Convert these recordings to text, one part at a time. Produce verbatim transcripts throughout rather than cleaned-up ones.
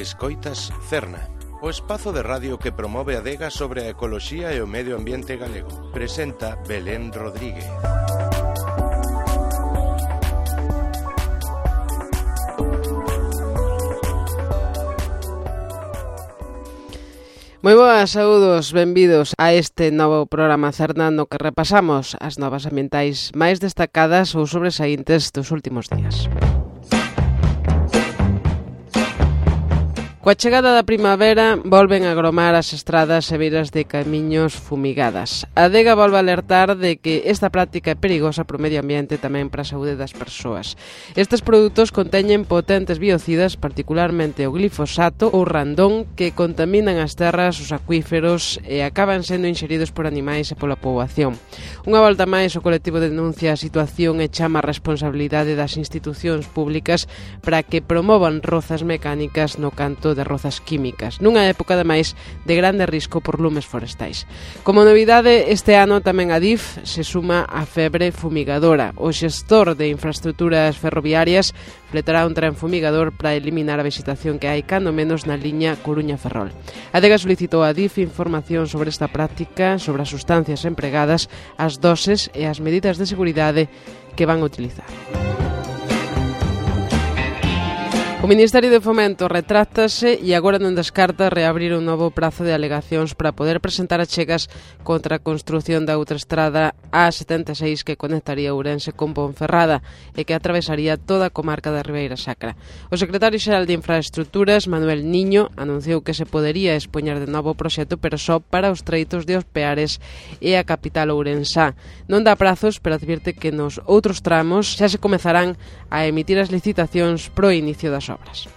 Escoitas Cerna, o espazo de radio que promove a adega sobre a ecoloxía e o medio ambiente galego. Presenta Belén Rodríguez. Moi boas, saúdos, benvidos a este novo programa Cerna no que repasamos as novas ambientais máis destacadas ou sobresaíntes dos últimos días. Coa chegada da primavera, volven a agromar as estradas e beiras de camiños fumigadas. A adega volve a alertar de que esta práctica é perigosa para o medio ambiente e tamén para a saúde das persoas. Estes produtos conteñen potentes biocidas, particularmente o glifosato ou randón, que contaminan as terras, os acuíferos e acaban sendo inxeridos por animais e pola poboación. Unha volta máis, o colectivo denuncia a situación e chama a responsabilidade das institucións públicas para que promovan rozas mecánicas no canto de rozas químicas, nunha época ademais de grande risco por lumes forestais. Como novidade, este ano tamén a D I F se suma á febre fumigadora. O xestor de infraestructuras ferroviarias fletará un tren fumigador para eliminar a vegetación que hai cando menos na liña Coruña-Ferrol. A adega solicitou a D I F información sobre esta práctica, sobre as sustancias empregadas, as doses e as medidas de seguridade que van a utilizar. O Ministerio de Fomento retráctase e agora non descarta reabrir un novo prazo de alegacións para poder presentar achegas contra a construción da autoestrada A setenta e seis que conectaría Ourense con Ponferrada e que atravesaría toda a comarca da Ribeira Sacra. O secretario xeral de Infraestructuras, Manuel Niño, anunciou que se podería expoñer de novo o proxecto, pero só para os treitos de Os Peares e a capital ourensá. Non dá prazos, pero advirte que nos outros tramos xa se comezarán a emitir as licitacións pro inicio das obras.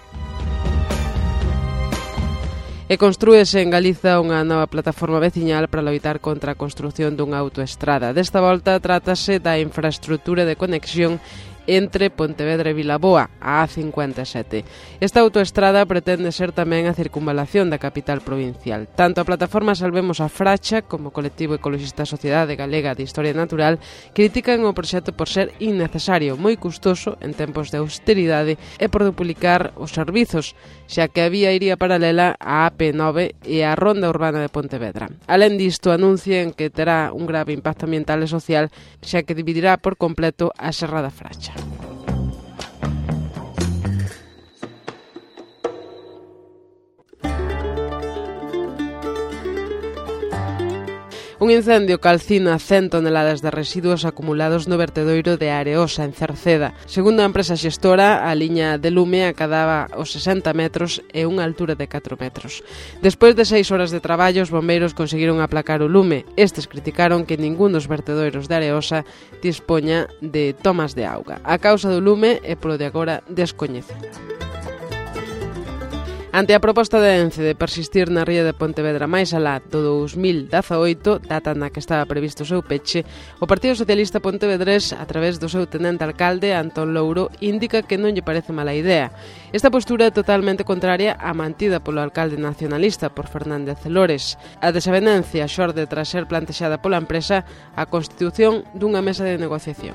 E construíse en Galiza unha nova plataforma veciñal para loitar contra a construción dunha autoestrada. Desta volta trátase da infraestructura de conexión entre Pontevedra e Vilaboa, a A cincuenta e sete. Esta autoestrada pretende ser tamén a circunvalación da capital provincial. Tanto a plataforma Salvemos a Fracha como o colectivo ecologista Sociedade Galega de Historia Natural critican o proxecto por ser innecesario, moi custoso en tempos de austeridade e por duplicar os servizos, xa que a vía iría paralela á A P nove e á Ronda Urbana de Pontevedra. Alén disto, anuncian que terá un grave impacto ambiental e social, xa que dividirá por completo a Serra da Fracha. Un incendio calcina cen toneladas de residuos acumulados no vertedoiro de Areosa, en Cerceda. Segundo a empresa xestora, a liña de lume acadaba os sesenta metros e unha altura de catro metros. Despois de seis horas de traballo, os bombeiros conseguiron aplacar o lume. Estes criticaron que ningún dos vertedoiros de Areosa dispoña de tomas de auga. A causa do lume é polo de agora descoñecida. Ante a proposta de Ence de persistir na ría de Pontevedra máis alá do dous mil dezaoito, data na que estaba previsto o seu peche, o Partido Socialista Pontevedrés, a través do seu tenente alcalde, Antón Louro, indica que non lle parece mala idea. Esta postura é totalmente contraria á mantida polo alcalde nacionalista por Fernández Lores. A desavenencia xorde tras ser plantexada pola empresa a constitución dunha mesa de negociación.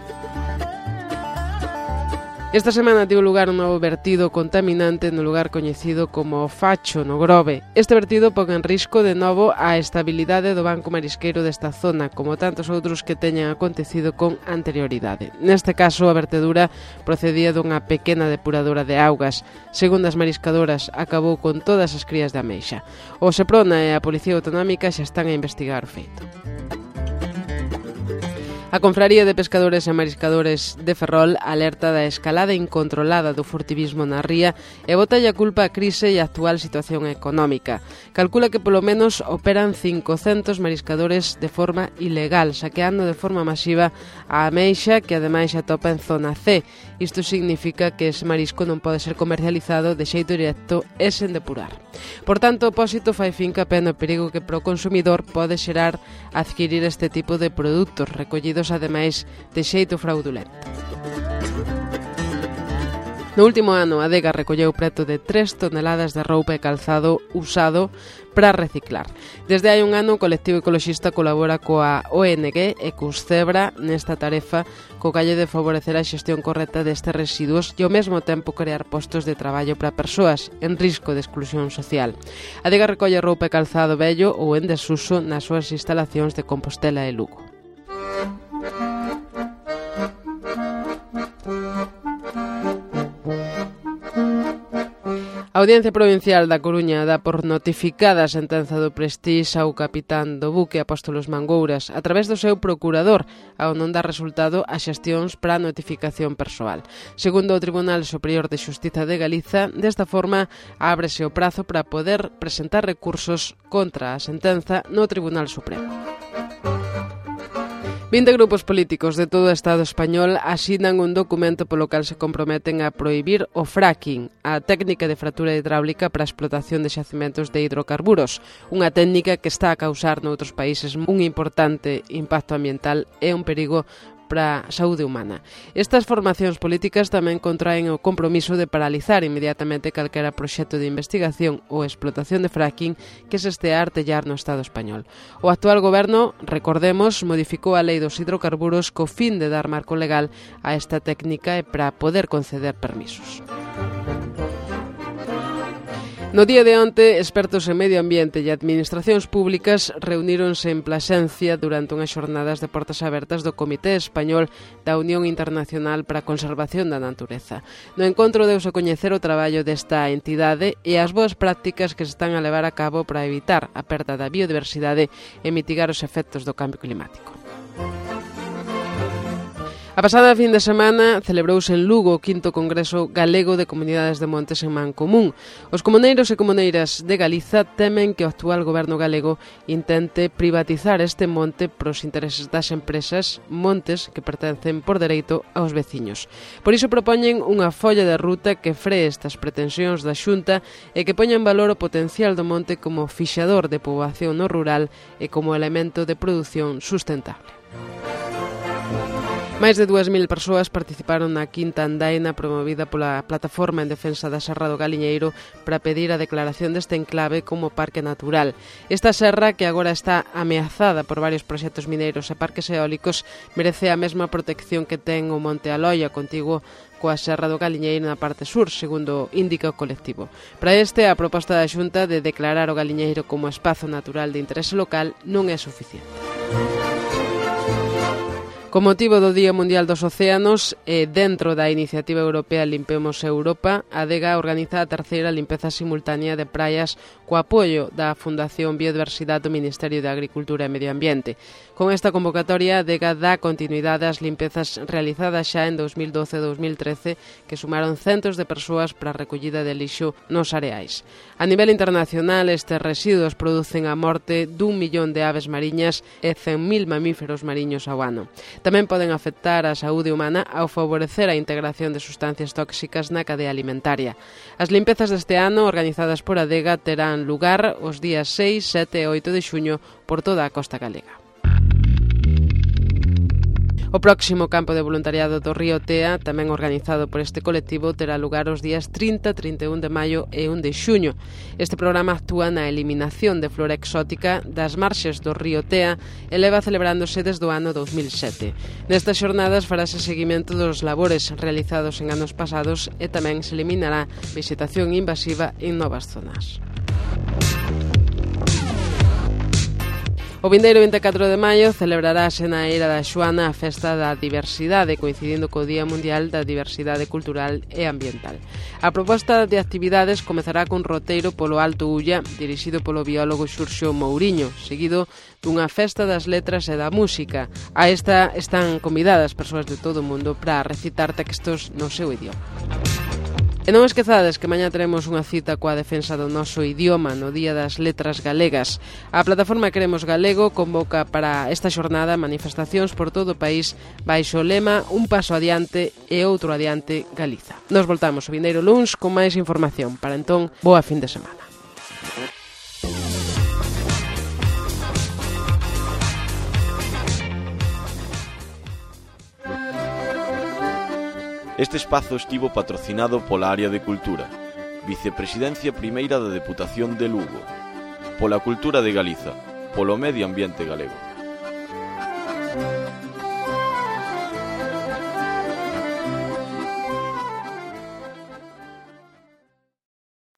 Esta semana tivo lugar un novo vertido contaminante no lugar coñecido como Facho, no Grove. Este vertido pon en risco de novo a estabilidade do banco marisqueiro desta zona, como tantos outros que teñan acontecido con anterioridade. Neste caso, a vertedura procedía dunha pequena depuradora de augas. Segundo as mariscadoras, acabou con todas as crías de ameixa. O Seprona e a Policía Autonómica xa están a investigar o feito. A Confraría de Pescadores e Mariscadores de Ferrol alerta da escalada incontrolada do furtivismo na ría e botalle a culpa a crise e a actual situación económica. Calcula que polo menos operan cincocentos mariscadores de forma ilegal, saqueando de forma masiva a ameixa que ademais se atopa en zona C. Isto significa que ese marisco non pode ser comercializado de xeito directo e sen depurar. Por tanto, o Pósito fai fincapé no perigo que pro consumidor pode xerar adquirir este tipo de produtos recollidos ademais de xeito fraudulento. No último ano, a Adega recolleu preto de tres toneladas de roupa e calzado usado para reciclar. Desde hai un ano, o colectivo ecoloxista colabora coa O N G e cus Cebra nesta tarefa co calle de favorecer a xestión correcta destes residuos e ao mesmo tempo crear postos de traballo para persoas en risco de exclusión social. A Adega recolle roupa e calzado vello ou en desuso nas súas instalacións de Compostela e Lugo. A Audiencia Provincial da Coruña dá por notificada a sentenza do Prestige ao capitán do buque Apóstolos Mangouras a través do seu procurador, ao non dar resultado a xestións para a notificación persoal. Segundo o Tribunal Superior de Xustiza de Galiza, desta forma ábrese o prazo para poder presentar recursos contra a sentenza no Tribunal Supremo. vinte grupos políticos de todo o Estado español asinan un documento polo cal se comprometen a prohibir o fracking, a técnica de fractura hidráulica para a explotación de xacimentos de hidrocarburos, unha técnica que está a causar noutros países un importante impacto ambiental e un perigo para a saúde humana. Estas formacións políticas tamén contraen o compromiso de paralizar inmediatamente calquera proxecto de investigación ou explotación de fracking que se estea a artellar no Estado español. O actual goberno, recordemos, modificou a lei dos hidrocarburos co fin de dar marco legal a esta técnica e para poder conceder permisos. No día de onte, expertos en medio ambiente e administracións públicas reuníronse en Plasencia durante unhas xornadas de portas abertas do Comité Español da Unión Internacional para a Conservación da Natureza. No encontro deuse a coñecer o traballo desta entidade e as boas prácticas que se están a levar a cabo para evitar a perda da biodiversidade e mitigar os efectos do cambio climático. A pasada fin de semana celebrouse en Lugo o quinto Congreso Galego de Comunidades de Montes en Mancomún. Os comuneiros e comuneiras de Galiza temen que o actual goberno galego intente privatizar este monte pros intereses das empresas, montes que pertencen por dereito aos veciños. Por iso propoñen unha folla de ruta que free estas pretensións da Xunta e que poña en valor o potencial do monte como fixador de poboación no rural e como elemento de produción sustentable. Máis de dúas mil persoas participaron na quinta andaina promovida pola Plataforma en Defensa da Serra do Galiñeiro para pedir a declaración deste enclave como parque natural. Esta serra, que agora está ameazada por varios proxectos mineiros e parques eólicos, merece a mesma protección que ten o Monte Aloia, contiguo coa Serra do Galiñeiro na parte sur, segundo indica o colectivo. Para este, a proposta da Xunta de declarar o Galiñeiro como espazo natural de interese local non é suficiente. Con motivo do Día Mundial dos Océanos e dentro da iniciativa europea Limpemos Europa, a Adega organiza a terceira limpeza simultánea de praias co apoio da Fundación Biodiversidade do Ministerio de Agricultura e Medio Ambiente. Con esta convocatoria, a Adega dá continuidade ás limpezas realizadas xa en dos mil doce e dos mil trece, que sumaron centos de persoas para a recollida de lixo nos areais. A nivel internacional, estes residuos producen a morte dun millón de aves mariñas e cen mil mamíferos mariños ao ano. Tamén poden afectar a saúde humana ao favorecer a integración de sustancias tóxicas na cadea alimentaria. As limpezas deste ano, organizadas por Adega, terán lugar os días seis, sete e oito de xuño por toda a costa galega. O próximo campo de voluntariado do Río Tea, tamén organizado por este colectivo, terá lugar os días trinta, trinta e un de maio e un de xuño. Este programa actúa na eliminación de flora exótica das marxes do Río Tea e leva celebrándose desde o ano dos mil sete. Nestas xornadas farase seguimento dos labores realizados en anos pasados e tamén se eliminará vegetación invasiva en novas zonas. O vindeiro vinte e catro de maio celebrarase na Eira da Xoana a Festa da Diversidade, coincidindo co Día Mundial da Diversidade Cultural e Ambiental. A proposta de actividades comezará cun roteiro polo Alto Ulla, dirixido polo biólogo Xurxo Mouriño, seguido dunha festa das letras e da música. A esta están convidadas persoas de todo o mundo para recitar textos no seu idioma. E non esquezades que mañá teremos unha cita coa defensa do noso idioma no Día das Letras Galegas. A plataforma Queremos Galego convoca para esta xornada manifestacións por todo o país baixo o lema Un paso adiante e outro adiante Galiza. Nos voltamos o vindeiro luns con máis información. Para entón, boa fin de semana. Este espazo estivo patrocinado pola área de Cultura, Vicepresidencia Primeira da Deputación de Lugo, pola Cultura de Galiza, polo Medio Ambiente Galego.